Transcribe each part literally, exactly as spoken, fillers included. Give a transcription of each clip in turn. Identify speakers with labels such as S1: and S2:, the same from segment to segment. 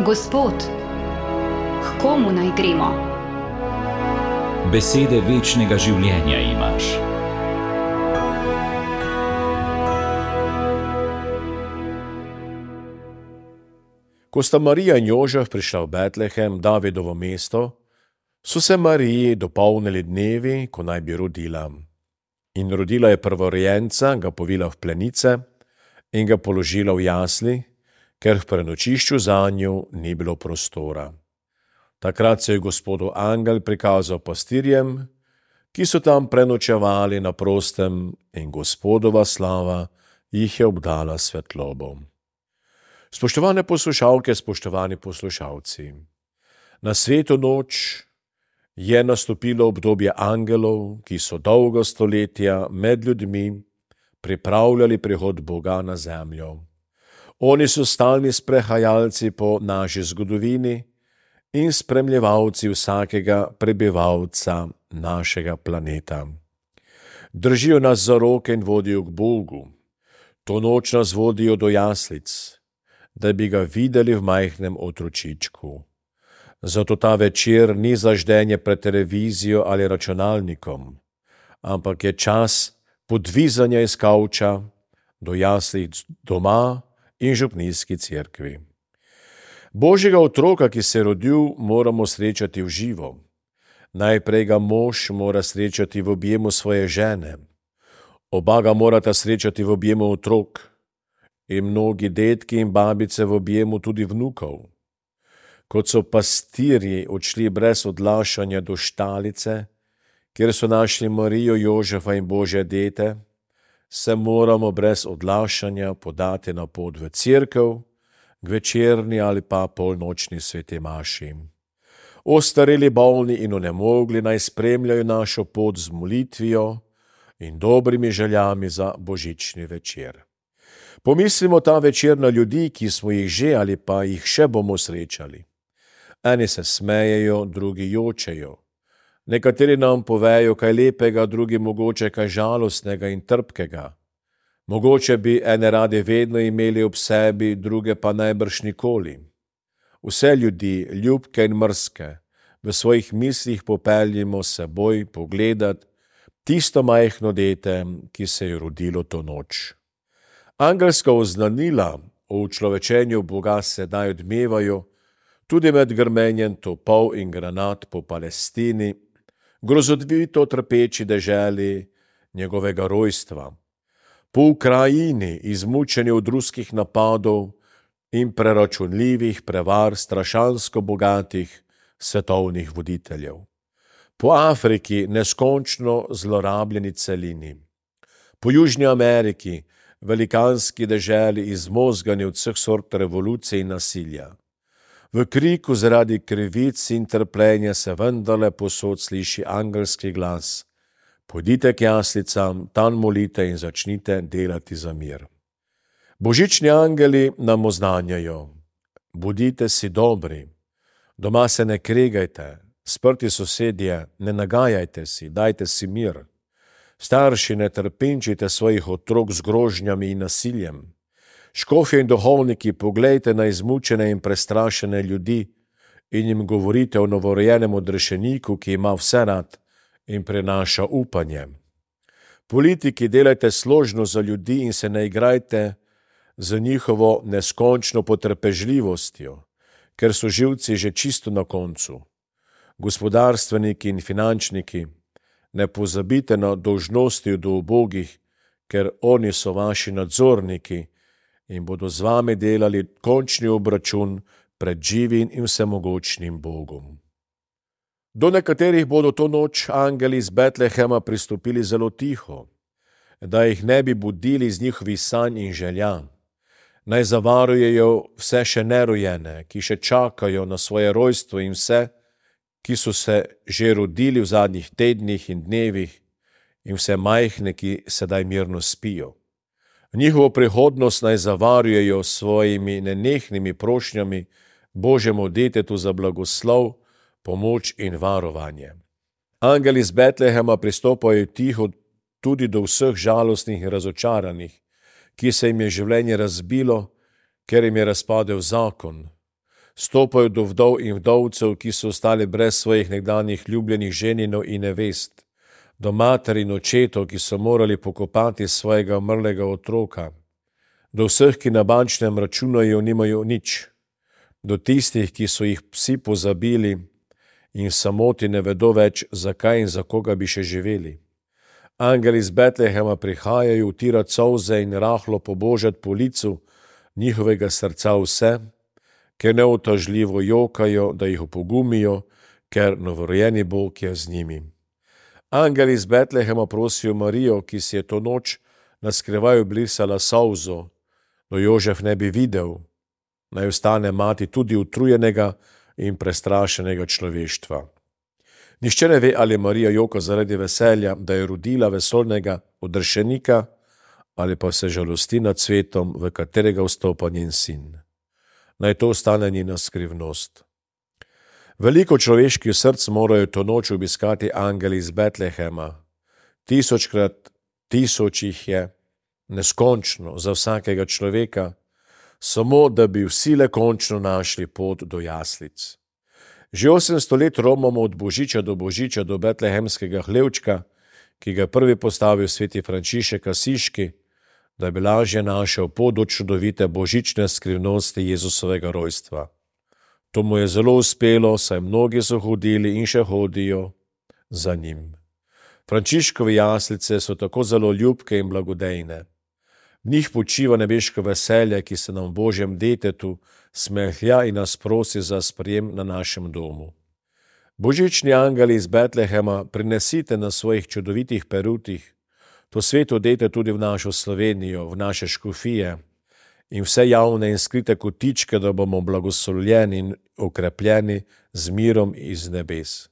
S1: Gospod, k komu naj gremo?
S2: Besede večnega življenja imaš.
S3: Ko sta Marija in Jožef prišla v Betlehem, Davidovo mesto, so se Mariji dopolnili dnevi, ko naj bi rodila. In rodila je prvorojenca, ga povila v plenice in ga položila v jasli, ker v prenočišču zanju ni bilo prostora. Takrat se je Gospodov angel prikazal pastirjem, ki so tam prenočevali na prostem, in Gospodova slava jih je obdala svetlobo. Spoštovane poslušalke, spoštovani poslušalci, na sveto noč je nastopilo obdobje angelov, ki so dolgo stoletja med ljudmi pripravljali prihod Boga na zemljo. Oni so stalni sprehajalci po naši zgodovini in spremljevalci vsakega prebivalca našega planeta. Držijo nas za roke in vodijo k Bogu. To noč nas vodijo do jaslic, da bi ga videli v majhnem otročičku. Zato ta večer ni zaždenje pred televizijo ali računalnikom, ampak je čas podvizanja iz kavča do jaslic doma in župnijski cerkvi. Božjega otroka, ki se je rodil, moramo srečati v živo. Najprej ga mož mora srečati v objemu svoje žene. Oba ga morata srečati v objemu otrok in mnogi dedki in babice v objemu tudi vnukov. Kot so pastirji odšli brez odlašanja do štalice, kjer so našli Marijo, Jožefa in Božje dete, se moramo brez odlašanja podati na pot v cerkev, k večerni ali pa polnočni sveti maši. Ostareli, bolni in onemogli naj spremljajo našo pot z molitvijo in dobrimi željami za božični večer. Pomislimo ta večer na ljudi, ki smo jih že ali pa jih še bomo srečali. Eni se smejejo, drugi jočejo. Nekateri nam povejo kaj lepega, drugi mogoče kaj žalostnega in trpkega. Mogoče bi ene radi vedno imeli ob sebi, druge pa najbrž nikoli. Vse ljudi, ljubke in mrzke, v svojih mislih popeljimo seboj pogledat tisto majhno dete, ki se je rodilo to noč. Angelska oznanila o učlovečenju Boga sedaj odmevajo tudi med grmenjem topov in granat po Palestini, grozovito trpeči deželi njegovega rojstva. Po Ukrajini, izmučeni od ruskih napadov in preračunljivih prevar strašansko bogatih svetovnih voditeljev. Po Afriki, neskončno zlorabljeni celini. Po Južni Ameriki, velikanski deželi izmozgani od vseh sort revolucije in nasilja. V kriku zaradi krivic in trpljenja se vendarle posod sliši angelski glas. Pojdite k jaslicam, tam molite in začnite delati za mir. Božični angeli nam oznanjajo: bodite si dobri, doma se ne kregajte, sprti sosedje, ne nagajajte si, dajte si mir. Starši, ne trpinčite svojih otrok z grožnjami in nasiljem. Škofje in duhovniki, poglejte na izmučene in prestrašene ljudi in jim govorite o novorojenem odrešeniku, ki ima vse rad in prenaša upanje. Politiki, delajte složno za ljudi in se ne igrajte z njihovo neskončno potrpežljivostjo, ker so živci že čisto na koncu. Gospodarstveniki in finančniki, ne pozabite na dolžnosti do ubogih, ker oni so vaši nadzorniki in bodo z vami delali končni obračun pred živim in vsemogočnim Bogom. Do nekaterih bodo to noč angeli iz Betlehema pristopili zelo tiho, da jih ne bi budili iz njihovih sanj in želja. Naj zavarujejo vse še nerojene, ki še čakajo na svoje rojstvo, in vse, ki so se že rodili v zadnjih tednih in dnevih, in vse majhne, ki sedaj mirno spijo. Njihovo prihodnost naj zavarujejo s svojimi nenehnimi prošnjami Božjemu detetu za blagoslov, pomoč in varovanje. Angeli iz Betlehema pristopajo tiho tudi do vseh žalostnih in razočaranih, ki se jim je življenje razbilo, ker jim je razpadel zakon. Stopajo do vdov in vdovcev, ki so ostali brez svojih nekdanjih ljubljenih ženinov in nevest, do mater in očetov, ki so morali pokopati svojega umrlega otroka, do vseh, ki na bančnem računaju nimajo nič, do tistih, ki so jih psi pozabili in v samoti ne vedo več, zakaj in za koga bi še živeli. Angeli iz Betlehema prihajajo utirati solze in rahlo pobožati po licu njihovega srca vse, ker neutažljivo jokajo, da jih opogumijo, ker novorojeni Bog je z njimi. Angeli iz Betlehema prosijo Marijo, ki si je to noč na skrivaj obrisala solzo, da Jožef ne bi videl, naj ostane mati tudi utrujenega in prestrašenega človeštva. Nihče ne ve, ali Marija joka zaradi veselja, da je rodila vesoljnega odrešenika, ali pa se žalosti nad svetom, v katerega vstopa njen sin. Naj to ostane njena skrivnost. Veliko človeških src morajo to noč obiskati angeli iz Betlehema. Tisočkrat tisoč jih je, neskončno za vsakega človeka, samo da bi vsi le končno našli pot do jaslic. Že osemsto let romamo od božiča do božiča do betlehemskega hlevčka, ki ga prvi postavil sveti Frančišek Asiški, da bi lažje našel pot do čudovite božične skrivnosti Jezusovega rojstva. To mu je zelo uspelo, saj mnogi so hodili in še hodijo za njim. Frančiškove jaslice so tako zelo ljubke in blagodejne. V njih počiva nebeško veselje, ki se nam v Božjem detetu smehlja in nas prosi za sprejem na našem domu. Božični angeli iz Betlehema, prinesite na svojih čudovitih perutih to sveto dete tudi v našo Slovenijo, v naše škofije in vse javne in skrite kotičke, da bomo blagoslovljeni in okrepljeni z mirom iz nebes.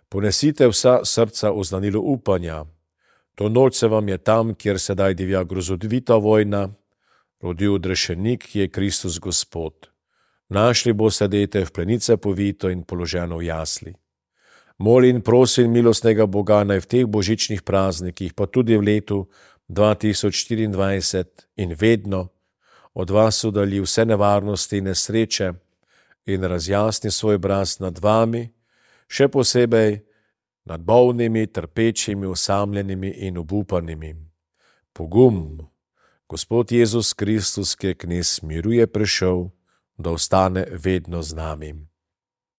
S3: Ponesite vsa srca v znanilo upanja. To noč se vam je tam, kjer sedaj divja grozovita vojna, rodil odrešenik, ki je Kristus Gospod. Našli boste dete v plenice povito in položeno v jasli. Moli in prosim milostnega Boga, naj v teh božičnih praznikih, pa tudi v letu dva tisoč štiriindvajset in vedno od vas udalji vse nevarnosti in nesreče in razjasni svoj obraz nad vami, še posebej nad bolnimi, trpečimi, osamljenimi in obupanimi. Pogum! Gospod Jezus Kristus, ki je knez miru, je prišel, da ostane vedno z nami.